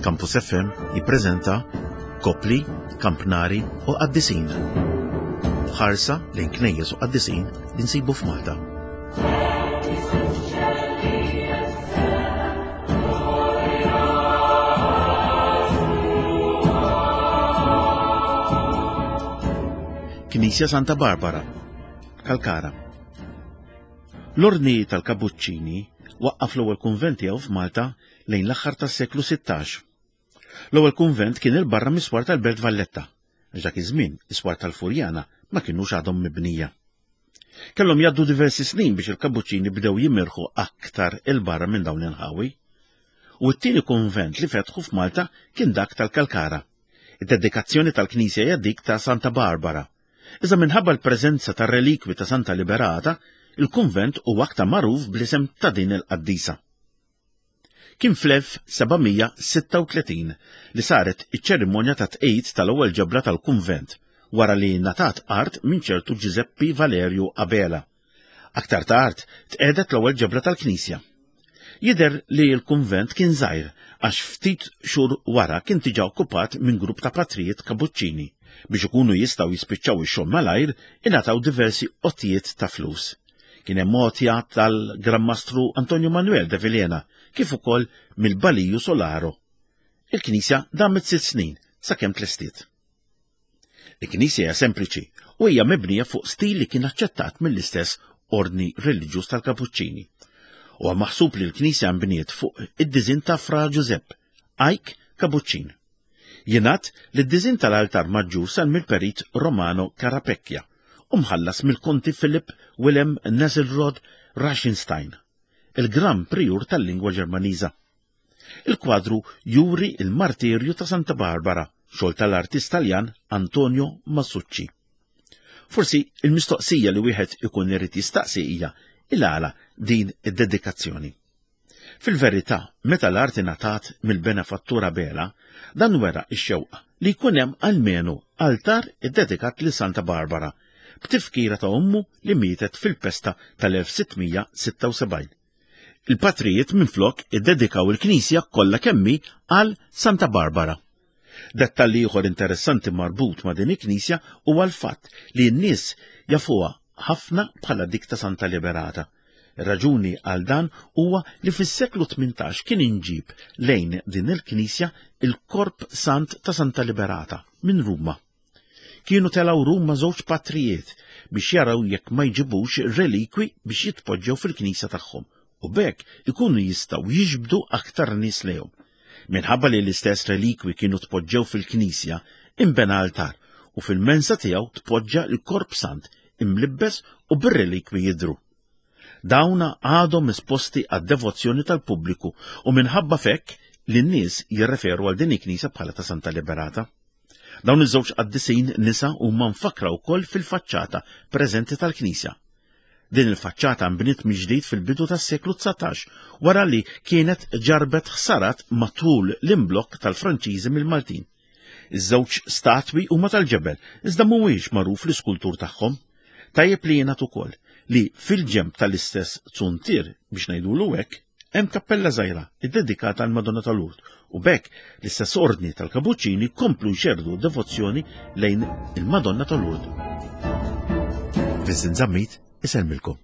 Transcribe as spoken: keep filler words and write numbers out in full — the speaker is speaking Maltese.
Campus F M jippreżenta Kopli, Kampnari u Qaddisin. Ħarsa lejn knejjes u qaddisin li nsibu f'Malta. Knisja Santa Barbara, Kalkara. L-Ordni tal-Kapuċċini waqqaf l-ewwel kunvent tiegħu f'Malta lejn l-aħħar tas-seklu sittax. L-ewwel kunvent kien il-barra mis-swar tal-Belt Valletta, għax dak iż-żmien is-swar tal-Furjana ma kinux għadhom mibnija. Kellhom jgħaddu diversi snin biex il-Kapuċċini bdew jimirħu aktar il-barra minn dawn l-inħawi. U t-tieni kunvent li fetħu f'Malta kien dak tal-Kalkara. Id-dedikazzjoni tal-Knisja hija dik ta' Santa Barbara. Iżda minħabba l-preżenza tar-relikwi ta' Santa Liberata, il-kunvent huwa aktar magħruf bl-isem ta' din il-qaddisa. Kien fl-elf seba' mija sitta u tletin li saret iċ-ċerimonja ta' tqegħid tal-ewwel ġebla tal-kunvent wara li ngħatat art minn ċertu Giuseppe Valerio Abela. Aktar tard tqegħdet l-ewwel ġebla tal-Knisja. Jidher li l-kunvent kien żgħir għax ftit xhur wara kien diġà okkupat minn grupp ta' patrijiet kapuċċini. Biex ikunu jistgħu jispiċċaw ix-xogħol malajr, ingħataw diversi għotjiet ta' flus. Kien hemm għotja tal-Gran Mastru Antonio Manuel de Vilhena, kif ukoll mill-Baliju Solaro. Il-Knisja damet sitt snin sakemm tlestiet. Il-Knisja hija sempliċi u hija mibnija fuq stil li kien aċċettat mill-istess ordni reliġjuż tal-Kapuċċini. Huwa maħsub li l-Knisja nbniet fuq id-diżin ta' Fra Giuseppe, Ajk Kapuċċin. Jingħad li d-diżin tal-altar maġġur sar mill-perit Romano Carapecchia u mħallas mill-Konti Philip Wilhelm Nesselrode Reichenstein, il-Gran Priur tal-lingwa Ġermaniża. Il-kwadru juri il-martirju ta' Santa Barbara, xogħol tal-artist Taljan Antonio Masucci. Forsi il-mistoqsija li wieħed ikun irid jistaqsi hija il-għala din id-dedikazzjoni. Fil-verità, meta l-arti ngħatat mill-benefattura Bela, dan wera x-xewqa li jkun hemm almenu altar iddedikat lil Santa Barbara, b'tifkira ta' ommu li mietet fil-pesta tal-elf sitt mija sitta u sebgħin. Il-patrijiet minflok iddedikaw il-knisja kollha kemmi għal Santa Barbara. Dettalji ieħor interessanti marbut ma' din il-knisja huwa l-fatt li n-nies jafuha ħafna bħala dik ta' Santa Liberata. Ir-raġuni għal dan huwa li fis-seklu tmintax kien inġib lejn din il-knisja il-Korp Sant ta' Santa Liberata minn Ruma. Kienu telgħu Ruma żewġ patrijiet biex jaraw jekk ma jġibux relikwi biex jitpoġġew fil-knisja tagħhom u b'hekk ikunu jistgħu jiġbdu aktar nies lejhom. Minħabba li l-istess relikwi kienu tpoġġew fil-knisja, inbena altar u fil-mensa tiegħu tpoġġa l-Korp Sant imlibbes u bir-relikwi jidhru. Dawna għadhom esposti għad-devozzjoni tal-pubbliku u minħabba fekk li n-nies jirreferu għal din il-knisja bħala ta' Santa Liberata. Dawn iż-żewġ qaddisin nisa huma mfakkra wkoll fil-faċċata preżenti tal-knisja. Din il-faċċata nbniet mill-ġdid fil-bidu tas-seklu dsatax wara li kienet ġarbet ħsarat matul l-imblokk tal-Franċiżi mill-Maltin. Iż-żewġ statwi huma tal-ġebel, iżda mhuwiex magħruf l-iskultur tagħhom. Tajjeb li jingħad ukoll li fil-ġenb tal-istess zuntier, biex ngħidulu hekk, hemm kappella żgħira iddedikata għal Madonna tal-Lourdes u b'hekk l-istess ordni tal-Kapuċċini komplu jxerrdu devozzjoni lejn il-Madonna tal-Lourdes. Vincent Zammit isellmilkom.